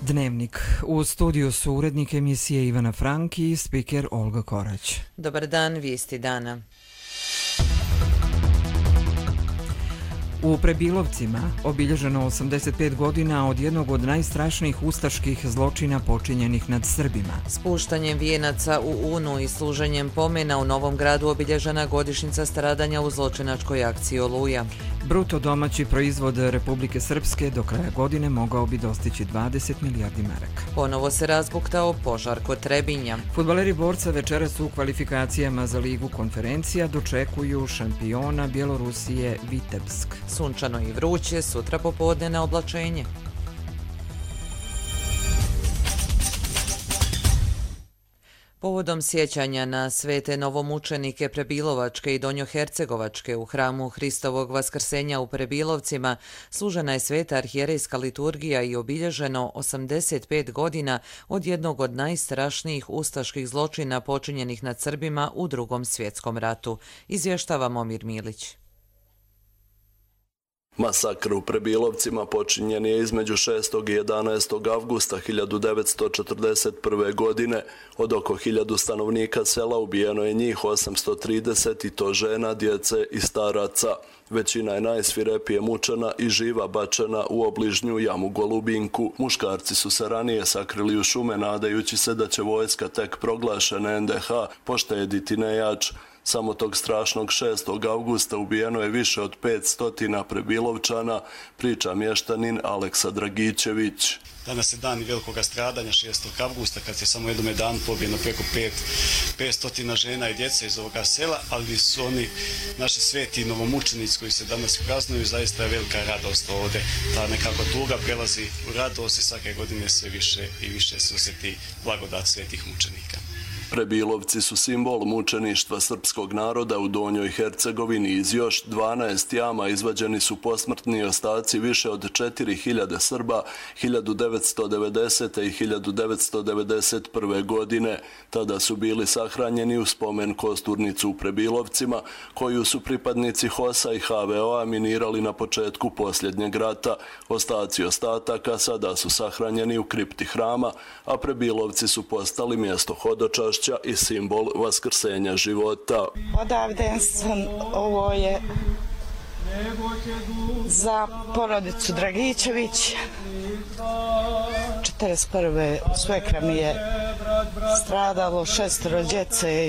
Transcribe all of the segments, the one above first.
Dnevnik. U studiju su urednik emisije Ivana Frank i spiker Olga Korać. Dobar dan, vijesti dana. U Prebilovcima obilježeno 85 godina od jednog od najstrašnijih ustaških zločina počinjenih nad Srbima. Spuštanjem vijenaca u Unu i služenjem pomena u Novom Gradu obilježena godišnjica stradanja u zločinačkoj akciji Oluja. Bruto domaći proizvod Republike Srpske do kraja godine mogao bi dostići 20 milijardi maraka. Ponovo se razbuktao požar kod Trebinja. Fudbaleri Borca večeras u kvalifikacijama za Ligu konferencija dočekuju šampiona Bjelorusije Vitebsk. Sunčano i vruće, sutra popodne na oblačenje. Povodom sjećanja na svete novomučenike Prebilovačke i Donjohercegovačke u hramu Hristovog vaskrsenja u Prebilovcima služena je sveta arhijerejska liturgija i obilježeno 85 godina od jednog od najstrašnijih ustaških zločina počinjenih nad Srbima u Drugom svjetskom ratu, izvještava Momir Milić. Masakr u Prebilovcima počinjen je između 6. i 11. avgusta 1941. godine. Od oko 1000 stanovnika sela ubijeno je njih 830 i to žena, djece i staraca. Većina je najsvirepije mučena i živa bačena u obližnju jamu Golubinku. Muškarci su se ranije sakrili u šume nadajući se da će vojska tek proglašene NDH poštediti nejač. Samo tog strašnog 6. avgusta ubijeno je više od 500 Prebilovčana, priča mještanin Aleksa Dragićević. Danas je dan velikog stradanja 6. avgusta kad je samo jednom danu pobijeno preko 500 žena i djece iz ovoga sela, ali su oni naši sveti novomučenici koji se danas praznuju, zaista je velika radost ovdje. Ta nekako tuga prelazi u radost i svake godine sve više i više se osjeti blagodat svetih mučenika. Prebilovci su simbol mučeništva srpskog naroda u Donjoj Hercegovini. Iz još 12 jama izvađeni su posmrtni ostaci više od 4000 Srba 1990. i 1991. godine. Tada su bili sahranjeni u spomen kosturnicu u Prebilovcima, koju su pripadnici HOS-a i HVO-a minirali na početku posljednjeg rata. Ostaci ostataka sada su sahranjeni u kripti hrama, a Prebilovci su postali mjesto hodočašća i simbol vaskrsenja života. Odavde sam, ovo je za porodicu Dragićević. 1941. svekra mi je stradalo 6 djece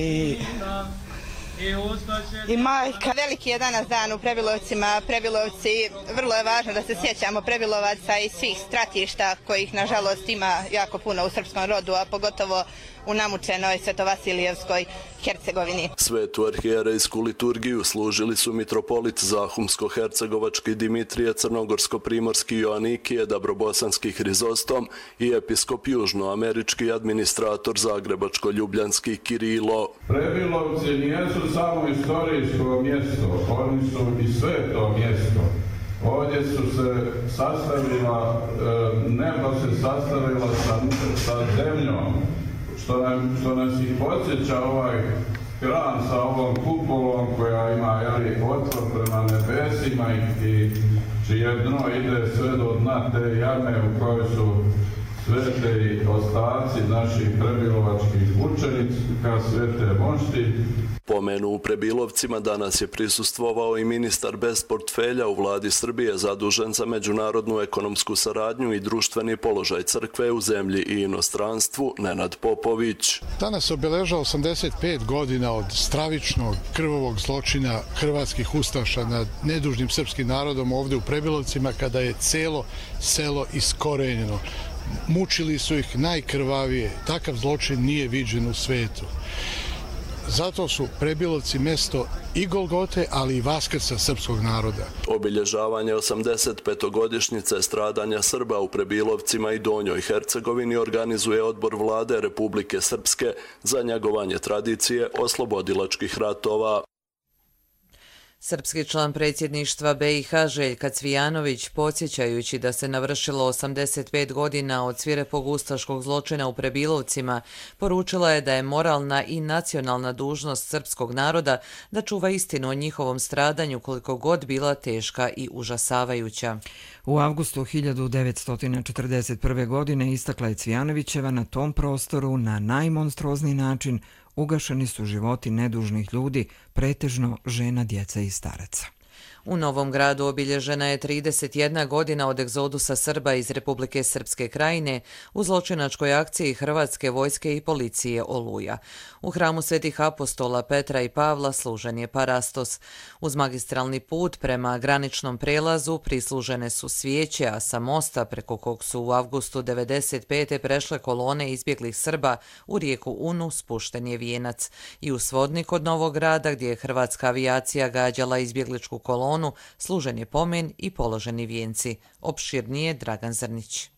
i majka. Veliki je danas dan u Prebilovcima. Prebilovci, vrlo je važno da se sjećamo Prebilovaca i svih stratišta kojih nažalost ima jako puno u srpskom rodu, a pogotovo u namučenoj Svetovasilijevskoj Hercegovini. Svetu arhijerejsku liturgiju služili su mitropolit Zahumsko-hercegovački Dimitrije Crnogorsko-primorski Joanikije Dabrobosanski Hrizostom i episkop južnoamerički administrator Zagrebačko-ljubljanski Kirilo. Prebilovci nijesu samo istorijsko mjesto, oni su i sveto mjesto. Ovdje su se sastavila, nebo se sastavila sa zemljom, što nas i podsjeća ovaj hram sa ovom kupolom koja ima otvor prema nebesima i čije dno ide sve do dna te jame u kojoj su svete ostaci naših prebilovačkih učenika, svete mošti. Pomenu u Prebilovcima danas je prisustvovao i ministar bez portfelja u vladi Srbije zadužen za međunarodnu ekonomsku saradnju i društveni položaj crkve u zemlji i inostranstvu, Nenad Popović. Danas obeležava 85 godina od stravičnog krvavog zločina hrvatskih ustaša nad nedužnim srpskim narodom ovdje u Prebilovcima, kada je cijelo selo iskorenjeno. Mučili su ih najkrvavije. Takav zločin nije viđen u svetu. Zato su Prebilovci mjesto i Golgote, ali i Vaskrsa srpskog naroda. Obilježavanje 85-godišnjice stradanja Srba u Prebilovcima i Donjoj Hercegovini organizuje Odbor vlade Republike Srpske za njegovanje tradicije oslobodilačkih ratova. Srpski član predsjedništva BiH Željka Cvijanović, podsjećajući da se navršilo 85 godina od svirepog ustaškog zločina u Prebilovcima, poručila je da je moralna i nacionalna dužnost srpskog naroda da čuva istinu o njihovom stradanju koliko god bila teška i užasavajuća. U avgustu 1941. godine, istakla je Cvijanovićeva, na tom prostoru na najmonstruozniji način ugašeni su životi nedužnih ljudi, pretežno žena, djeca i staraca. U Novom Gradu obilježena je 31 godina od egzodusa Srba iz Republike Srpske Krajine u zločinačkoj akciji Hrvatske vojske i policije Oluja. U hramu Svetih apostola Petra i Pavla služen je parastos. Uz magistralni put prema graničnom prelazu prislužene su svijeće, a sa mosta preko kog su u avgustu 1995. prešle kolone izbjeglih Srba u rijeku Unu spušten je vijenac. I u Svodnik od Novog Grada, gdje je hrvatska avijacija gađala izbjegličku kolonu, služen je pomen i položeni vijenci. Opširnije Dragan Zrnić.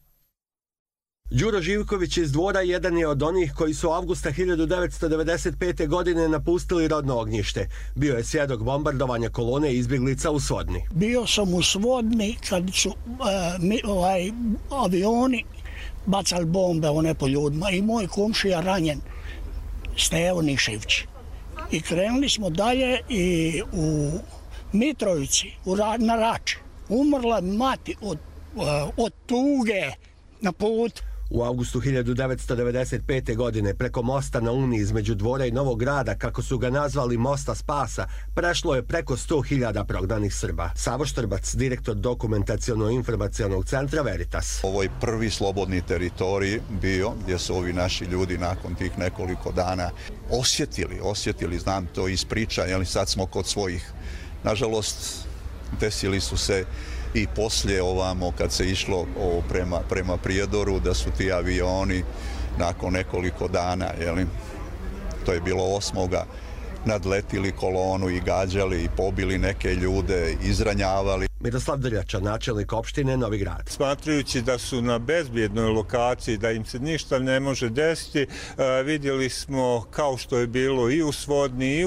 Đuro Živković iz Dvora jedan je od onih koji su avgusta 1995. godine napustili rodno ognjište. Bio je svjedok bombardovanja kolone izbjeglica u Svodni. Bio sam u Svodni kad su avioni bacali bombe po ljudima i moj komšija ranjen, Stevo Nišević. I krenuli smo dalje i u Mitrovici, na Rači, umrla mati od tuge na put. U avgustu 1995. godine preko mosta na Uni između Dvora i Novog Grada, kako su ga nazvali Mosta spasa, prešlo je preko 100.000 prognanih Srba. Savo Štrbac, direktor dokumentaciono-informacionog centra Veritas. Ovo je prvi slobodni teritorij bio gdje su ovi naši ljudi nakon tih nekoliko dana osjetili, znam to iz priča, jer sad smo kod svojih. Nažalost, desili su se i poslije ovamo kad se išlo prema Prijedoru, da su ti avioni nakon nekoliko dana, to je bilo 8. nadletili kolonu i gađali i pobili neke ljude, izranjavali. Miroslav Drljača, načelnik opštine Novi Grad. Smatrajući da su na bezbjednoj lokaciji, da im se ništa ne može desiti, vidjeli smo, kao što je bilo i u Svodni i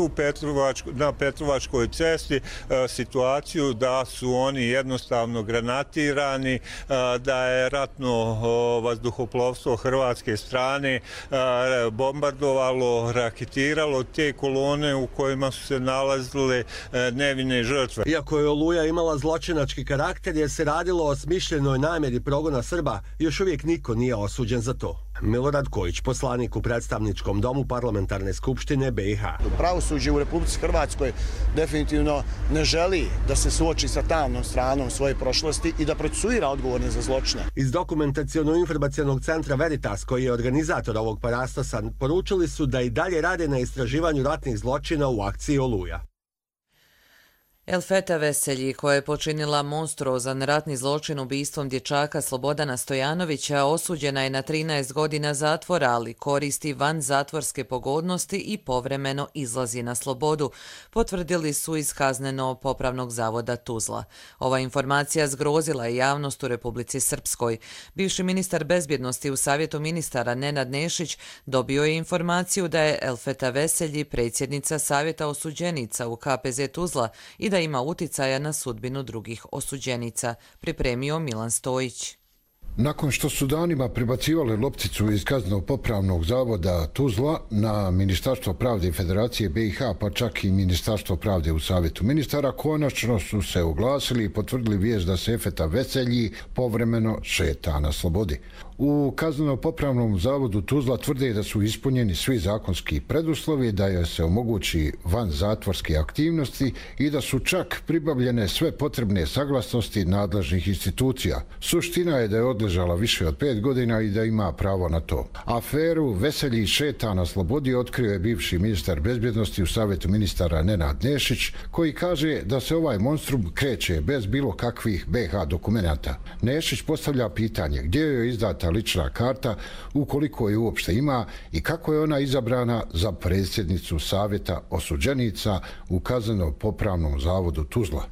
na Petrovačkoj cesti, situaciju da su oni jednostavno granatirani, da je ratno vazduhoplovstvo hrvatske strane bombardovalo, raketiralo te kolone u kojima su se nalazile nevine žrtve. Iako je Oluja imala zločinački karakter jer se radilo o smišljenoj namjeri progona Srba, još uvijek niko nije osuđen za to. Milorad Kojić, poslanik u predstavničkom domu Parlamentarne skupštine BiH. Pravosuđe u Republici Hrvatskoj definitivno ne želi da se suoči sa tamnom stranom svoje prošlosti i da procesuira odgovorne za zločine. Iz dokumentaciono-informacionog centra Veritas, koji je organizator ovog parastosa, poručili su da i dalje rade na istraživanju ratnih zločina u akciji Oluja. Elfeta Veselji, koja je počinila monstruozan ratni zločin ubistvom dječaka Slobodana Stojanovića, osuđena je na 13 godina zatvora, ali koristi van zatvorske pogodnosti i povremeno izlazi na slobodu, potvrdili su iz Kazneno-popravnog zavoda Tuzla. Ova informacija zgrozila je javnost u Republici Srpskoj. Bivši ministar bezbjednosti u Savjetu ministara Nenad Nešić dobio je informaciju da je Elfeta Veselji predsjednica Savjeta osuđenica u KPZ Tuzla i da ima uticaja na sudbinu drugih osuđenica, pripremio Milan Stojić. Nakon što su danima prebacivali lopticu iz Kazneno-popravnog zavoda Tuzla na Ministarstvo pravde i Federacije BiH, pa čak i Ministarstvo pravde u Savjetu ministara, konačno su se oglasili i potvrdili vijest da se Elfeta Veselji povremeno šeta na slobodi. U Kazneno-popravnom zavodu Tuzla tvrde da su ispunjeni svi zakonski preduslovi, da joj se omogući van zatvorske aktivnosti i da su čak pribavljene sve potrebne saglasnosti nadležnih institucija. Suština je da je odležala više od 5 godina i da ima pravo na to. Aferu Veselji šeta na slobodi otkrio je bivši ministar bezbjednosti u Savjetu ministara Nenad Nešić, koji kaže da se ovaj monstrum kreće bez bilo kakvih BiH dokumenata. Nešić postavlja pitanje gdje joj je izdata lična karta, ukoliko je uopšte ima, i kako je ona izabrana za predsjednicu Savjeta osuđenica u Kazneno-popravnom zavodu Tuzla.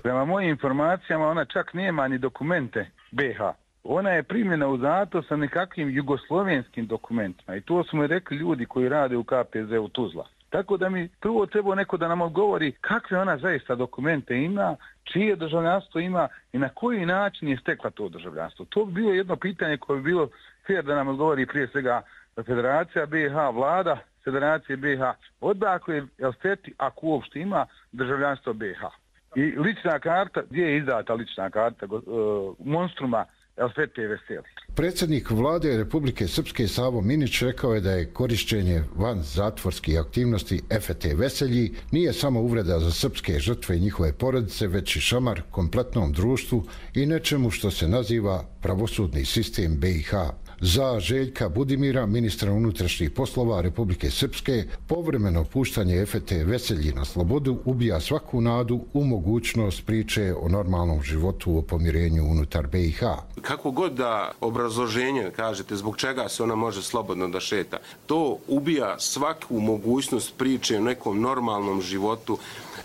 Prema mojim informacijama ona čak nema ni dokumente BiH. Ona je primljena u zatvor sa nekakvim jugoslovenskim dokumentima i to su mi rekli ljudi koji rade u KPZ u Tuzla. Tako da mi prvo treba neko da nam odgovori kakve ona zaista dokumente ima, čije državljanstvo ima i na koji način je stekla to državljanstvo. To bi bilo jedno pitanje koje bi bilo fair da nam odgovori prije svega Federacija BiH, vlada Federacije BiH, odakle Elfeti, ako uopšte ima državljanstvo BiH. I lična karta, gdje je izdata lična karta monstruma Elfete Veseli. Predsjednik vlade Republike Srpske Savo Minić rekao je da je korišćenje van zatvorskih aktivnosti Efete Veselji nije samo uvreda za srpske žrtve i njihove porodice, već i šamar kompletnom društvu i nečemu što se naziva pravosudni sistem BiH. Za Željka Budimira, ministra unutrašnjih poslova Republike Srpske, povremeno puštanje Efete Veselji na slobodu ubija svaku nadu u mogućnost priče o normalnom životu, o pomirenju unutar BiH. Kako god da obrazloženje kažete zbog čega se ona može slobodno da šeta, to ubija svaku mogućnost priče o nekom normalnom životu,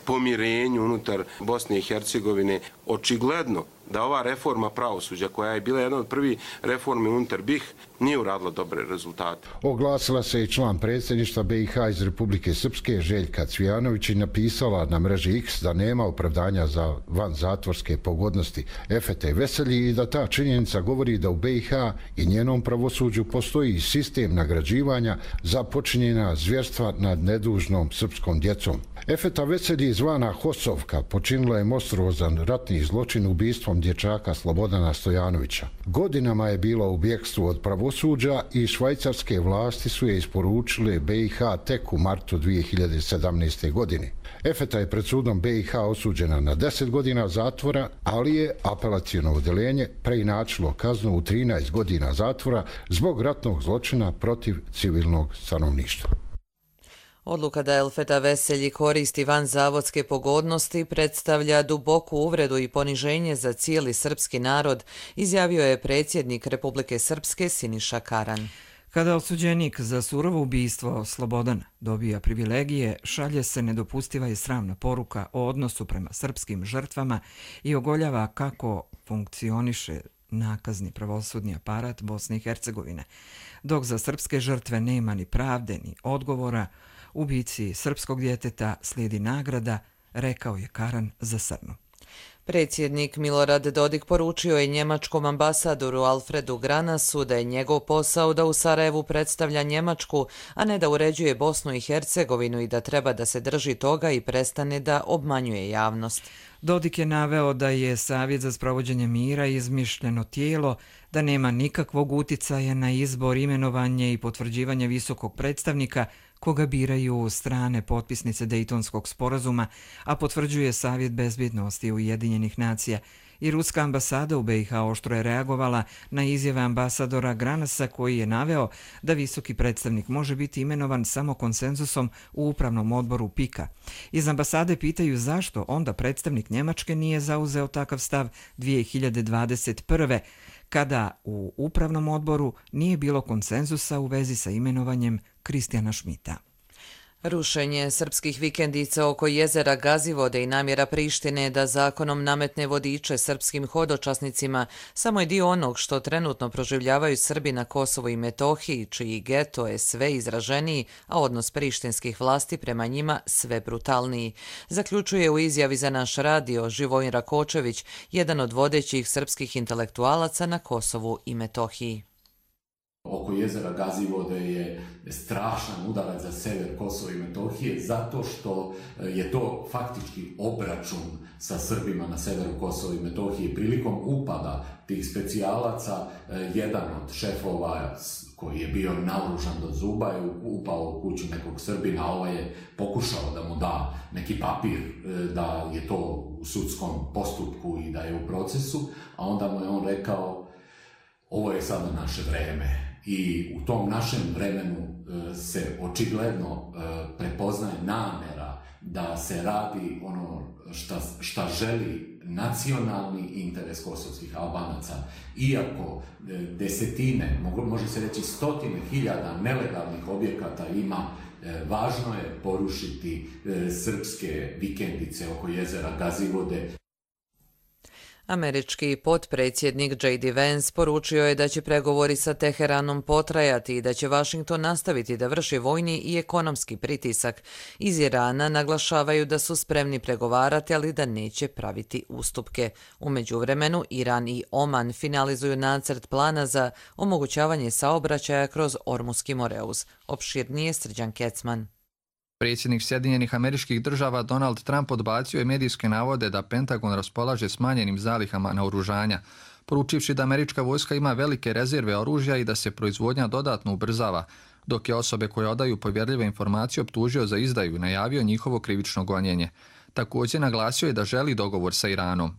pomirenju unutar Bosne i Hercegovine. Očigledno da ova reforma pravosuđa, koja je bila jedna od prvih reformi unutar BiH, nije uradila dobre rezultate. Oglasila se i član predsjedništva BiH iz Republike Srpske, Željka Cvijanović, i napisala na mreži X da nema opravdanja za vanzatvorske pogodnosti Efete Veselji i da ta činjenica govori da u BiH i njenom pravosuđu postoji sistem nagrađivanja za počinjena zvjerstva nad nedužnom srpskom djecom. Efeta Veselji, zvana Hosovka, počinila je monstruozan ratni zločin ubistvom dječaka Slobodana Stojanovića. Godinama je bila u bjekstvu od pravosuđa i švajcarske vlasti su je isporučile BiH tek u martu 2017. godine. Efeta je pred sudom BiH osuđena na 10 godina zatvora, ali je apelaciono odeljenje preinačilo kaznu u 13 godina zatvora zbog ratnog zločina protiv civilnog stanovništva. Odluka da Elfeta Veselji koristi vanzavodske pogodnosti predstavlja duboku uvredu i poniženje za cijeli srpski narod, izjavio je predsjednik Republike Srpske Siniša Karan. Kada osuđenik za surovo ubistvo Slobodan dobija privilegije, šalje se nedopustiva i sramna poruka o odnosu prema srpskim žrtvama i ogoljava kako funkcioniše nakazni pravosudni aparat Bosne i Hercegovine. Dok za srpske žrtve nema ni pravde ni odgovora, ubici srpskog djeteta slijedi nagrada, rekao je Karan za Srnu. Predsjednik Milorad Dodik poručio je njemačkom ambasadoru Alfredu Granasu da je njegov posao da u Sarajevu predstavlja Njemačku, a ne da uređuje Bosnu i Hercegovinu i da treba da se drži toga i prestane da obmanjuje javnost. Dodik je naveo da je Savjet za sprovođenje mira izmišljeno tijelo, da nema nikakvog uticaja na izbor, imenovanje i potvrđivanje visokog predstavnika koga biraju strane potpisnice Dejtonskog sporazuma, a potvrđuje Savjet bezbjednosti Ujedinjenih nacija. I ruska ambasada u BiH oštro je reagovala na izjave ambasadora Granasa koji je naveo da visoki predstavnik može biti imenovan samo konsenzusom u upravnom odboru PIK-a. Iz ambasade pitaju zašto onda predstavnik Njemačke nije zauzeo takav stav 2021. kada u upravnom odboru nije bilo konsenzusa u vezi sa imenovanjem Kristijana Šmita. Rušenje srpskih vikendica oko jezera Gazivode i namjera Prištine da zakonom nametne vodiče srpskim hodočasnicima samo je dio onog što trenutno proživljavaju Srbi na Kosovu i Metohiji, čiji geto je sve izraženiji, a odnos prištinskih vlasti prema njima sve brutalniji. Zaključuje u izjavi za naš radio Živojin Rakočević, jedan od vodećih srpskih intelektualaca na Kosovu i Metohiji. Oko jezera Gazivode je strašan udarac za sever Kosova i Metohije zato što je to faktički obračun sa Srbima na severu Kosova i Metohije. Prilikom upada tih specijalaca, jedan od šefova koji je bio naoružan do zuba je upao u kuću nekog Srbina, a ovaj je pokušao da mu da neki papir da je to u sudskom postupku i da je u procesu, a onda mu je on rekao: ovo je sada naše vreme. I u tom našem vremenu se očigledno prepoznaje namjera da se radi ono šta želi nacionalni interes kosovskih Albanaca. Iako desetine, može se reći stotine hiljada nelegalnih objekata ima, važno je porušiti srpske vikendice oko jezera Gazivode. Američki potpredsjednik J.D. Vance poručio je da će pregovori sa Teheranom potrajati i da će Washington nastaviti da vrši vojni i ekonomski pritisak. Iz Irana naglašavaju da su spremni pregovarati, ali da neće praviti ustupke. U međuvremenu, Iran i Oman finalizuju nacrt plana za omogućavanje saobraćaja kroz Ormuski Moreuz. Opširnije Srđan Kecman. Predsjednik Sjedinjenih Američkih Država Donald Trump odbacio je medijske navode da Pentagon raspolaže smanjenim zalihama naoružanja, poručivši da američka vojska ima velike rezerve oružja i da se proizvodnja dodatno ubrzava, dok je osobe koje odaju povjerljive informacije optužio za izdaju i najavio njihovo krivično gonjenje. Također naglasio je da želi dogovor sa Iranom.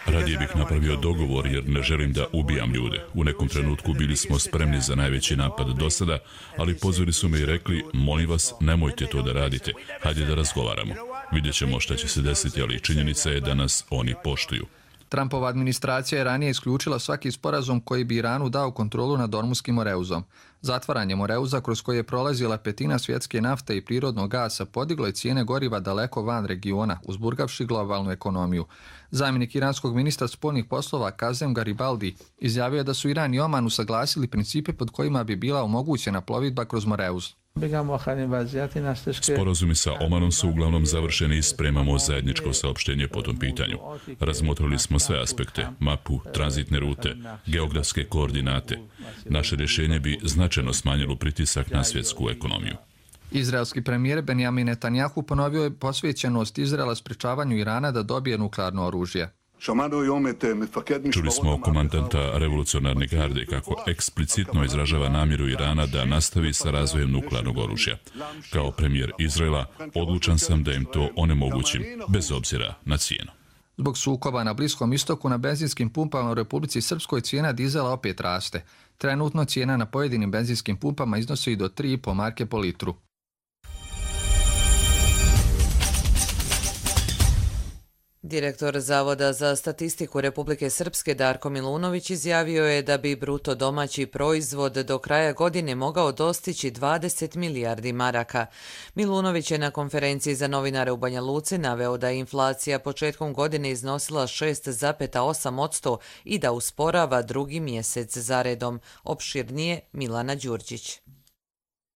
Radije bih napravio dogovor jer ne želim da ubijam ljude. U nekom trenutku bili smo spremni za najveći napad do sada, ali pozvali su me i rekli, molim vas, nemojte to da radite, hajde da razgovaramo. Vidjet ćemo šta će se desiti, ali činjenica je da nas oni poštuju. Trumpova administracija je ranije isključila svaki sporazum koji bi Iranu dao kontrolu nad Ormuskim Moreuzom. Zatvaranje Moreuza, kroz koje je prolazila petina svjetske nafte i prirodnog gasa, podiglo je cijene goriva daleko van regiona, uzburgavši globalnu ekonomiju. Zamjenik iranskog ministra spoljnih poslova Kazem Garibaldi izjavio je da su Iran i Oman usaglasili principe pod kojima bi bila omogućena plovidba kroz Moreuz. Sporazumi sa Omanom su uglavnom završeni i spremamo zajedničko saopštenje po tom pitanju. Razmotrili smo sve aspekte, mapu, tranzitne rute, geografske koordinate. Naše rješenje bi značajno smanjilo pritisak na svjetsku ekonomiju. Izraelski premijer Benjamin Netanjahu ponovio je posvećenost Izraela sprečavanju Irana da dobije nuklearno oružje. Čuli smo komandanta revolucionarne garde kako eksplicitno izražava namjeru Irana da nastavi sa razvojem nuklearnog oružja. Kao premijer Izraela odlučan sam da im to onemogućim, bez obzira na cijenu. Zbog sukoba na Bliskom istoku na benzinskim pumpama u Republici Srpskoj cijena dizela opet raste. Trenutno cijena na pojedinim benzinskim pumpama iznosi i do 3,5 marke po litru. Direktor Zavoda za statistiku Republike Srpske Darko Milunović izjavio je da bi bruto domaći proizvod do kraja godine mogao dostići 20 milijardi maraka. Milunović je na konferenciji za novinare u Banja Luci naveo da je inflacija početkom godine iznosila 6,8% i da usporava drugi mjesec zaredom. Opširnije Milana Đurđić.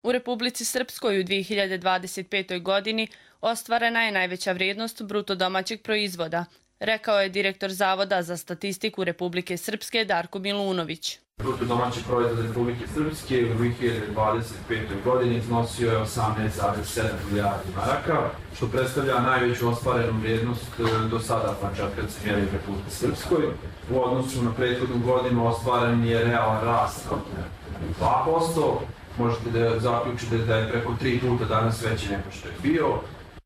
U Republici Srpskoj u 2025. godini ostvarena je najveća vrijednost bruto domaćeg proizvoda, rekao je direktor Zavoda za statistiku Republike Srpske Darko Milunović. Bruto domaći proizvod Republike Srpske u 2025. godini iznosio je 18,7 milijardi maraka, što predstavlja najveću ostvarenu vrijednost do sada, pa čak kad se mjeri u Republike Srpskoj. U odnosu na prethodnu godinu ostvaren je realan rast od 2%. Možete da zaključite da je preko 3 puta danas veći nego što je bio.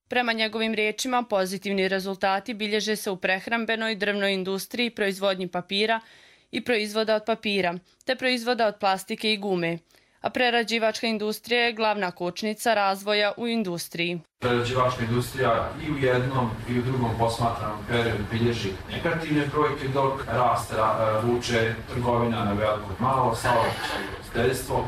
Prema njegovim riječima, pozitivni rezultati bilježe se u prehrambenoj, drvnoj industriji, proizvodnji papira i proizvoda od papira, te proizvoda od plastike i gume. A prerađivačka industrija je glavna kočnica razvoja u industriji. Prerađivačka industrija i u jednom i u drugom posmatranom periodu bilježi negativne brojke, dok rast vuče trgovina na veliko i malo, saobraćaj i ugostiteljstvo.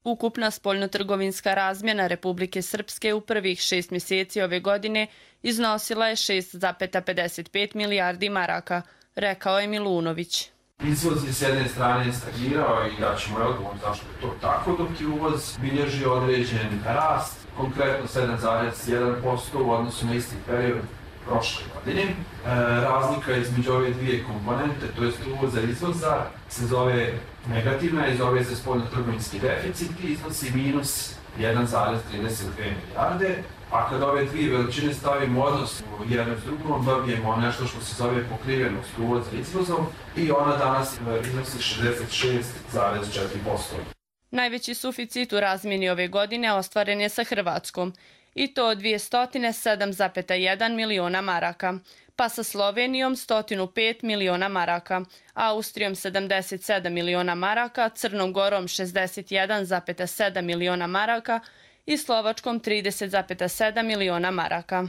Ukupna spoljnotrgovinska razmjena Republike Srpske u prvih 6 mjeseci ove godine iznosila je 6,55 milijardi maraka, rekao je Milunović. Izvoz je s jedne strane stagnirao i daćemo odgovor zašto je to tako, dok je uvoz bilježi određen rast, konkretno 7,1% u odnosu na isti period prošle godine. Razlika između ove dvije komponente, to je uvoza i izvoza, se zove negativna i zove se spoljnotrgovinski deficit i iznosi minus 1,32 milijarde. A kad ove dvije veličine stavimo odnos jedno s drugom, dobijemo nešto što se zove pokrivenost uvoza i izvozom i ona danas iznosi 66,4%. Najveći suficit u razmjeni ove godine ostvaren je sa Hrvatskom, i to 207,1 miliona maraka, pa sa Slovenijom 105 miliona maraka, Austrijom 77 miliona maraka, Crnom Gorom 61,7 miliona maraka i Slovačkom 30,7 miliona maraka.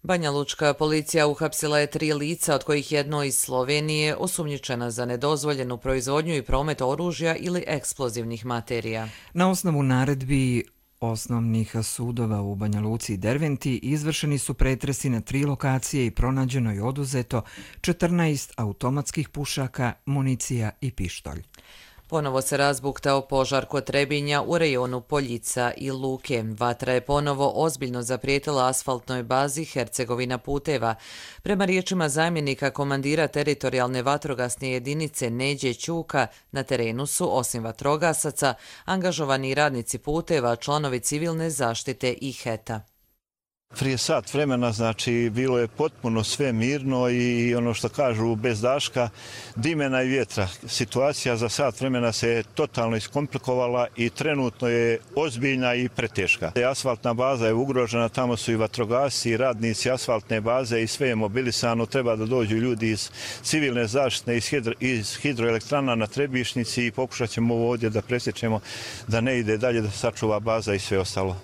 Banja Lučka policija uhapsila je 3 lica, od kojih jedno iz Slovenije, osumnjičena za nedozvoljenu proizvodnju i promet oružja ili eksplozivnih materija. Na osnovu naredbi osnovnih sudova u Banja Luci i Derventi izvršeni su pretresi na 3 lokacije i pronađeno i oduzeto 14 automatskih pušaka, municija i pištolj. Ponovo se razbuktao požar kod Trebinja u rejonu Poljica i Luke. Vatra je ponovo ozbiljno zaprijetila asfaltnoj bazi Hercegovina puteva. Prema riječima zamjenika komandira teritorijalne vatrogasne jedinice Neđe Ćuka, na terenu su, osim vatrogasaca, angažovani radnici puteva, članovi civilne zaštite i HET-a. Prije sat vremena, znači, bilo je potpuno sve mirno i ono što kažu bez daška, dimena i vjetra. Situacija za sat vremena se je totalno iskomplikovala i trenutno je ozbiljna i preteška. Asfaltna baza je ugrožena, tamo su i vatrogasci i radnici asfaltne baze i sve je mobilisano. Treba da dođu ljudi iz civilne zaštite, iz hidroelektrana na Trebišnici i pokušat ćemo ovo ovdje da presječemo da ne ide dalje, da sačuva baza i sve ostalo.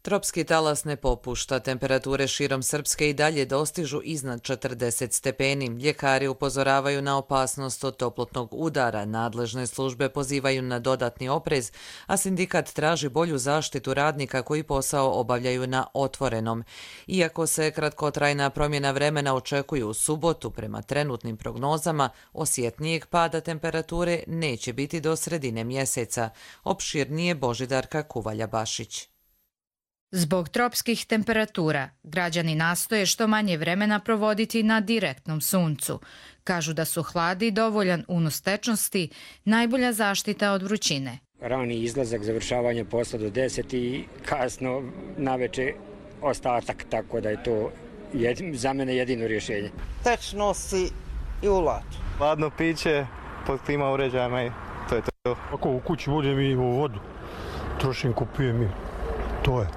Tropski talas ne popušta, temperature širom Srpske i dalje dostižu iznad 40 stepeni. Ljekari upozoravaju na opasnost od toplotnog udara, nadležne službe pozivaju na dodatni oprez, a sindikat traži bolju zaštitu radnika koji posao obavljaju na otvorenom. Iako se kratkotrajna promjena vremena očekuje u subotu, prema trenutnim prognozama, osjetnijeg pada temperature neće biti do sredine mjeseca. Opširnije Božidarka Kuvalja-Bašić. Zbog tropskih temperatura, građani nastoje što manje vremena provoditi na direktnom suncu. Kažu da su hladi dovoljan unos tečnosti, najbolja zaštita od vrućine. Rani izlazak, završavanje posla do 10 i kasno naveče ostatak, tako da je to za mene jedino rješenje. Tečnosti i ulat. Hladno piće, pod klima uređajima i to je to. Ako u kući budem i u vodu, trošim, kupujem i to je.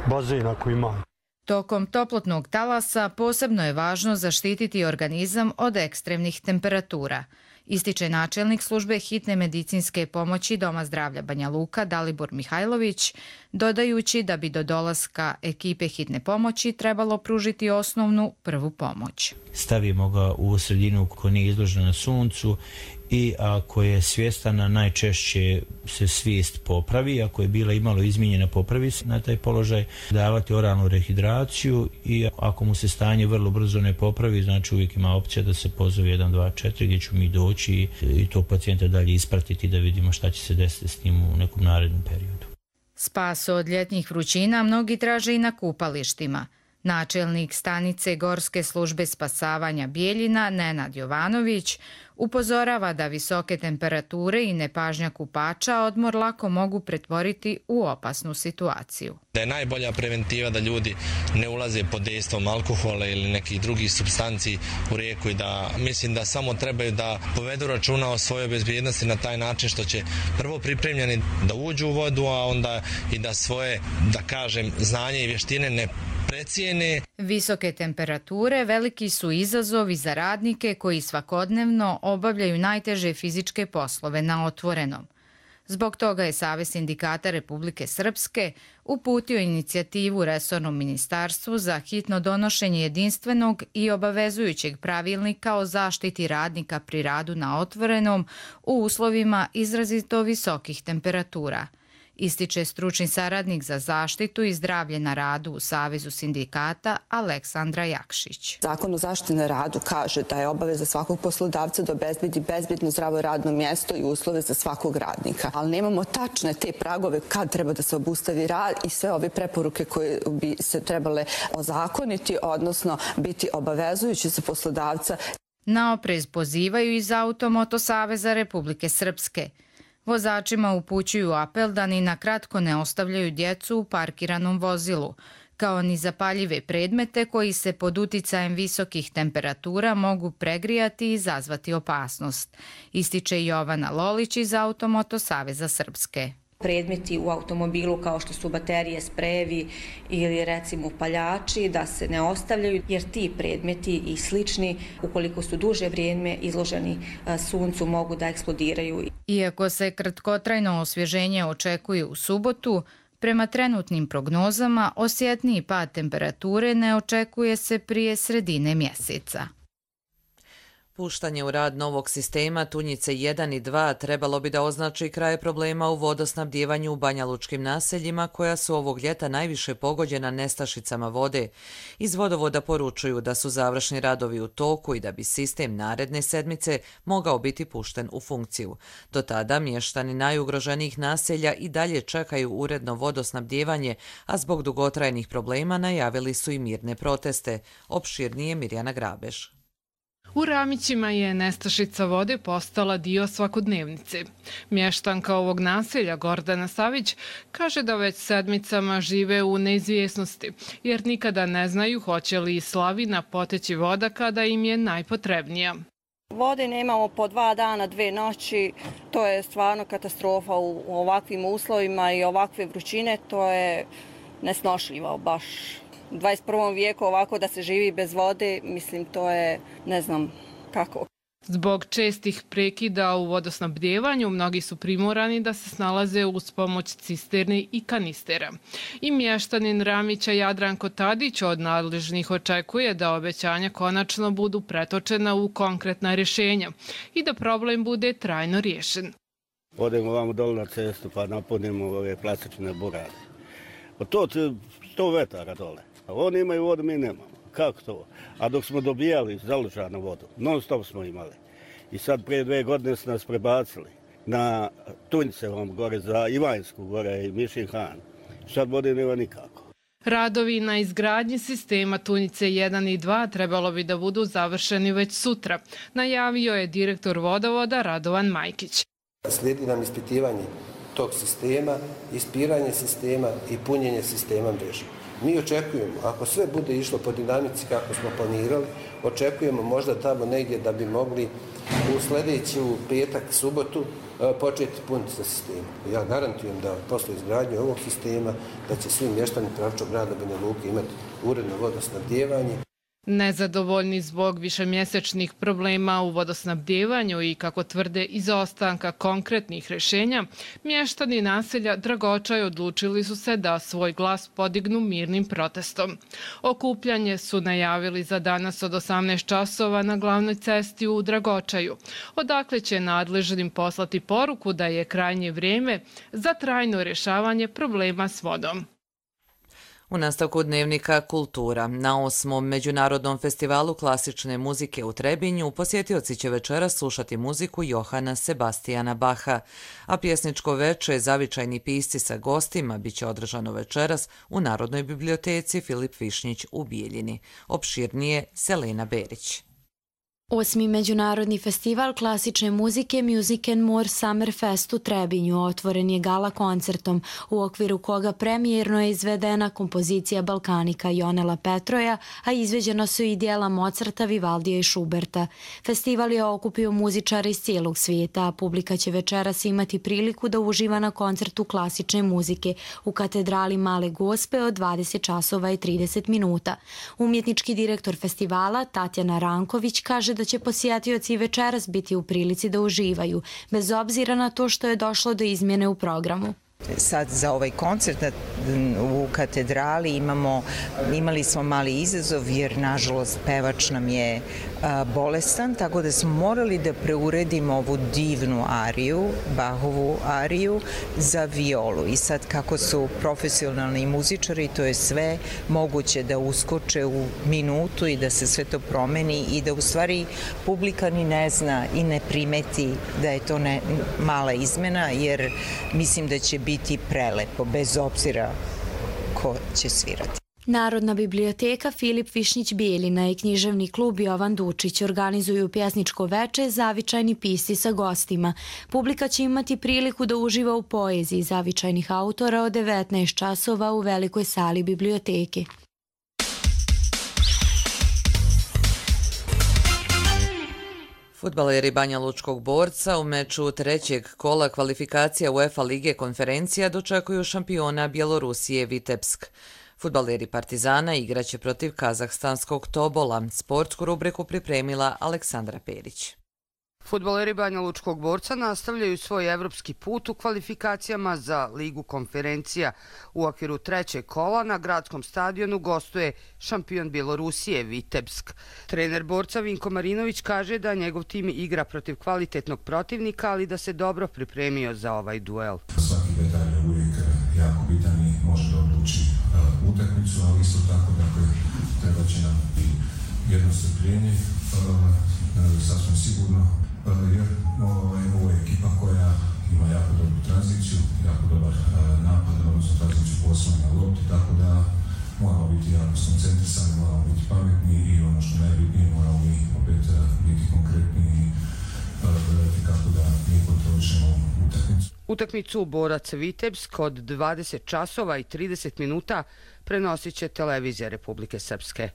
Bazen ako ima. Tokom toplotnog talasa posebno je važno zaštititi organizam od ekstremnih temperatura, ističe načelnik službe hitne medicinske pomoći Doma zdravlja Banja Luka Dalibor Mihajlović, dodajući da bi do dolaska ekipe hitne pomoći trebalo pružiti osnovnu prvu pomoć. Stavimo ga u sredinu ko nije izložena na suncu i ako je svjestana, najčešće se svijest popravi, ako je bila imalo izmijenjena, popravi se na taj položaj, davati oralnu rehidraciju i ako mu se stanje vrlo brzo ne popravi, znači uvijek ima opcija da se pozove 124 gdje ću mi doći i tog pacijenta dalje ispratiti da vidimo šta će se desiti s njim u nekom narednom periodu. Spas od ljetnih vrućina mnogi traže i na kupalištima. Načelnik stanice Gorske službe spasavanja Bijeljina Nenad Jovanović upozorava da visoke temperature i nepažnja kupača odmor lako mogu pretvoriti u opasnu situaciju. Da je najbolja preventiva da ljudi ne ulaze pod dejstvom alkohola ili nekih drugih supstanci u rijeku i da mislim da samo trebaju da povedu računa o svojoj bezbjednosti na taj način što će prvo pripremljeni da uđu u vodu, a onda i da svoje, da kažem, znanje i vještine ne precijene. Visoke temperature veliki su izazovi za radnike koji svakodnevno obavljaju najteže fizičke poslove na otvorenom. Zbog toga je Savez sindikata Republike Srpske uputio inicijativu resornom ministarstvu za hitno donošenje jedinstvenog i obavezujućeg pravilnika o zaštiti radnika pri radu na otvorenom u uslovima izrazito visokih temperatura, ističe stručni saradnik za zaštitu i zdravlje na radu u Savezu sindikata Aleksandra Jakšić. Zakon o zaštiti na radu kaže da je obaveza svakog poslodavca da obezbedi bezbedno zdravo radno mjesto i uslove za svakog radnika. Ali nemamo tačne te pragove kad treba da se obustavi rad i sve ove preporuke koje bi se trebale ozakoniti, odnosno biti obavezujući za poslodavca. Na oprez pozivaju iz Automoto Saveza Republike Srpske. Vozačima upućuju apel da ni na kratko ne ostavljaju djecu u parkiranom vozilu, kao ni zapaljive predmete koji se pod uticajem visokih temperatura mogu pregrijati i izazvati opasnost, ističe Jovana Lolić iz Automoto Saveza Srpske. Predmeti u automobilu kao što su baterije, sprejevi ili recimo paljači da se ne ostavljaju jer ti predmeti i slični ukoliko su duže vrijeme izloženi suncu mogu da eksplodiraju. Iako se kratkotrajno osvježenje očekuje u subotu, prema trenutnim prognozama osjetniji pad temperature ne očekuje se prije sredine mjeseca. Puštanje u rad novog sistema Tunjice 1 i 2 trebalo bi da označi kraj problema u vodosnabdjevanju u banjalučkim naseljima koja su ovog ljeta najviše pogođena nestašicama vode. Iz vodovoda poručuju da su završni radovi u toku i da bi sistem naredne sedmice mogao biti pušten u funkciju. Do tada mještani najugroženijih naselja i dalje čekaju uredno vodosnabdjevanje, a zbog dugotrajnih problema najavili su i mirne proteste. Opširnije Mirjana Grabeš. U Ramićima je nestašica vode postala dio svakodnevnice. Mještanka ovog naselja Gordana Savić kaže da već sedmicama žive u neizvjesnosti, jer nikada ne znaju hoće li iz slavina poteći voda kada im je najpotrebnija. Vode nemamo po 2 dana, 2 noći, to je stvarno katastrofa u ovakvim uslovima i ovakve vrućine, to je nesnošljivo baš. U 21. vijeku ovako da se živi bez vode, mislim to je ne znam kako. Zbog čestih prekida u vodosnabdjevanju, mnogi su primorani da se snalaze uz pomoć cisterne i kanistera. I mještanin Ramića Jadranko Tadić od nadležnih očekuje da obećanja konačno budu pretočena u konkretna rješenja i da problem bude trajno riješen. Odemo vamo dole na cestu pa napunimo ove plastične burade. To 100 metara dole. Oni imaju vodu, mi nemamo. Kako to? A dok smo dobijali založanu vodu, non stop smo imali. I sad prije 2 godine su nas prebacili na Tunjcevom gore za Ivanjsku gore i Mišin Han. Sad vode nema nikako. Radovi na izgradnji sistema Tunjice 1 i 2 trebalo bi da budu završeni već sutra, najavio je direktor vodovoda Radovan Majkić. Slijedi nam ispitivanje tog sistema, ispiranje sistema i punjenje sistema mreže. Mi očekujemo, ako sve bude išlo po dinamici kako smo planirali, očekujemo možda tamo negdje da bi mogli u sljedeću petak, subotu početi puniti sa sistemom. Ja garantujem da posle izgradnje ovog sistema da će svi mještani Pravčog grada Banja Luke imati uredno vodosnabdjevanje. Nezadovoljni zbog višemjesečnih problema u vodosnabdjevanju i, kako tvrde, izostanka konkretnih rješenja, mještani naselja Dragočaj odlučili su se da svoj glas podignu mirnim protestom. Okupljanje su najavili za danas od 18 časova na glavnoj cesti u Dragočaju, odakle će nadležnim poslati poruku da je krajnje vrijeme za trajno rješavanje problema s vodom. U nastavku dnevnika Kultura. Na 8. Međunarodnom festivalu klasične muzike u Trebinju posjetioci će večeras slušati muziku Johana Sebastijana Baha, a pjesničko veče Zavičajni pisci sa gostima biće održano večeras u Narodnoj biblioteci Filip Višnjić u Bijeljini. Opširnije Selena Berić. 8. Međunarodni festival klasične muzike Music and More Summer Fest u Trebinju otvoren je gala koncertom, u okviru koga premijerno je izvedena kompozicija Balkanika Jonela Petroja, a izveđena su i dijela Mozarta, Vivaldija i Schuberta. Festival je okupio muzičare iz cijelog svijeta, a publika će večeras imati priliku da uživa na koncertu klasične muzike u katedrali Male Gospe od 20 časova i 30 minuta. Umjetnički direktor festivala Tatjana Ranković kaže da će posjetioci večeras biti u prilici da uživaju, bez obzira na to što je došlo do izmjene u programu. Sad za ovaj koncert u katedrali imali smo mali izazov jer nažalost pevač nam je bolestan, tako da smo morali da preuredimo ovu divnu ariju, Bahovu ariju za violu. I sad kako su profesionalni muzičari, to je sve moguće da uskoče u minutu i da se sve to promeni i da u stvari publika ni ne zna i ne primeti da je to mala izmena, jer mislim da će biti prelepo, bez obzira ko će svirati. Narodna biblioteka Filip Višnjić Bijeljina i književni klub Jovan Dučić organizuju pjesničko veče Zavičajni pisci sa gostima. Publika će imati priliku da uživa u poeziji zavičajnih autora od 19 časova u velikoj sali biblioteke. Fudbaleri Banja Lučkog Borca u meču trećeg kola kvalifikacija UEFA Lige konferencija dočekuju šampiona Bjelorusije Vitebsk. Fudbaleri Partizana igraće protiv kazahstanskog Tobola. Sportsku rubriku pripremila Aleksandra Perić. Fudbaleri Banja Lučkog Borca nastavljaju svoj evropski put u kvalifikacijama za Ligu konferencija. U okviru trećeg kola na gradskom stadionu gostuje šampion Bjelorusije Vitebsk. Trener Borca Vinko Marinović kaže da njegov tim igra protiv kvalitetnog protivnika, ali da se dobro pripremio za ovaj duel. Svaki detalj je uvijek jako bitan i može da odluči utakmicu, ali isto tako treba će nam i jedno strpljenje, sasvim sigurno, jer ovo je ekipa koja ima jako dobru tranziciju, jako dobar napad, odnosno tranziciju po osnovnoj lopti, tako da moramo biti jako skoncentrisani, moramo biti pametni i ono što najbitnije moramo mi opet biti konkretni i gledati kako da mi kontrolišemo utakmicu. Utakmicu Borac Vitebsk od 20 časova i 30 minuta prenosit će televizija Republike Srpske.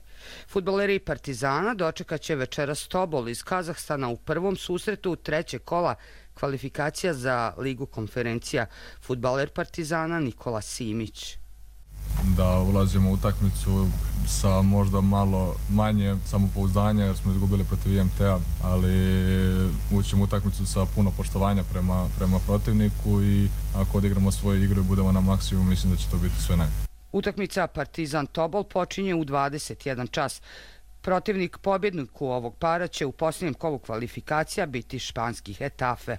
Fudbaleri Partizana dočekat će večeras Tobol iz Kazahstana u prvom susretu trećeg kola kvalifikacija za Ligu konferencija. Fudbaler Partizana Nikola Simić. Da ulazimo u utakmicu sa možda malo manje samopouzdanja jer smo izgubili protiv IMT-a, ali ućemo u utakmicu sa puno poštovanja prema protivniku i ako odigramo svoju igru i budemo na maksimum, mislim da će to biti sve najbolje. Utakmica Partizan Tobol počinje u 21 čas. Protivnik pobjedniku ovog para će u posljednjem kolu kvalifikacija biti španski Hetafe.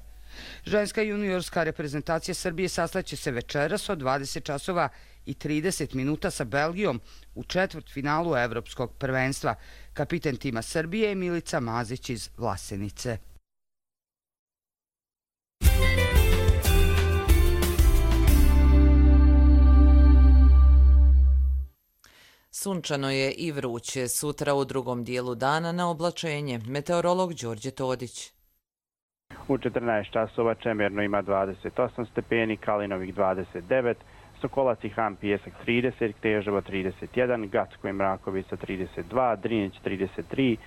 Ženska juniorska reprezentacija Srbije sastaće se večeras od 20 časova i 30 minuta sa Belgijom u četvrtfinalu Evropskog prvenstva. Kapiten tima Srbije je Milica Mazić iz Vlasenice. Sunčano je i vruće. Sutra u drugom dijelu dana na oblačenje. Meteorolog Đorđe Todić. U 14 časova Čemerno ima 28 stepeni, Kalinovik 29, Sokolac i Hram Pijesak 30, Kneževo 31, Gacko i Mrakovica 32, Drinić 33,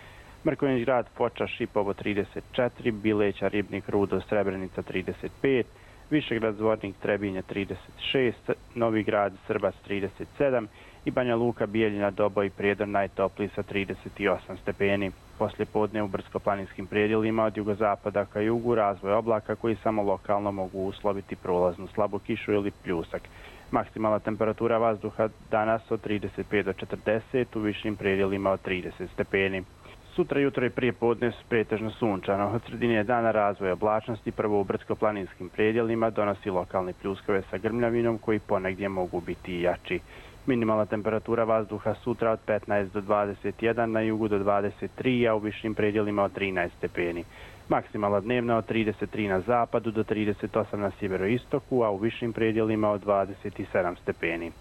Mrkonjić Grad, Foča, Šipovo 34, Bileća, Ribnik, Rudo, Srebrenica 35, Višegrad, Zvornik, Trebinje 36, Novi Grad, Srbac 37 i Banja Luka, Bijeljina, Doboj i Prijedor najtopliji sa 38 stepeni. Poslije podne u brdsko-planinskim predjelima od jugozapada ka jugu razvoj oblaka koji samo lokalno mogu usloviti prolaznu slabu kišu ili pljusak. Maksimalna temperatura vazduha danas od 35 do 40, u višim predjelima od 30 stepeni. Sutra jutro i prije podne pretežno sunčano. Od sredine dana razvoj oblačnosti prvo u brdsko-planinskim predjelima donosi lokalne pljuskove sa grmljavinom koji ponegdje mogu biti i jači. Minimalna temperatura vazduha sutra od 15 do 21, na jugu do 23, a u višim predjelima od 13 stepeni. Maksimalna dnevna od 33 na zapadu do 38 na sjeveroistoku, a u višim predjelima od 27 stepeni.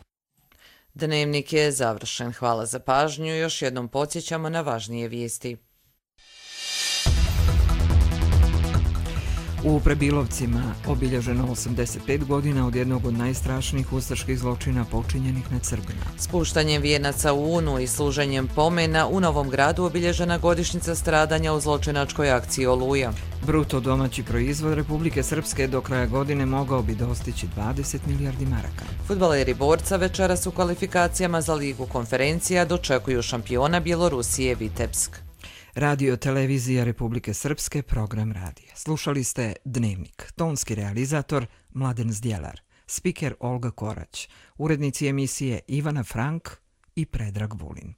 Dnevnik je završen. Hvala za pažnju. Još jednom podsjećamo na važnije vijesti. U Prebilovcima obilježeno 85 godina od jednog od najstrašnijih ustaških zločina počinjenih nad Srbima. Spuštanjem vijenaca u Unu i služenjem pomena u Novom Gradu obilježena godišnjica stradanja u zločinačkoj akciji Oluja. Bruto domaći proizvod Republike Srpske do kraja godine mogao bi dostići 20 milijardi maraka. Fudbaleri Borca večeras u kvalifikacijama za Ligu konferencija dočekuju šampiona Bjelorusije Vitebsk. Radio televizija Republike Srpske, program radija. Slušali ste Dnevnik. Tonski realizator Mladen Zdjelar. Spiker Olga Korać. Urednici emisije Ivana Frank i Predrag Vulin.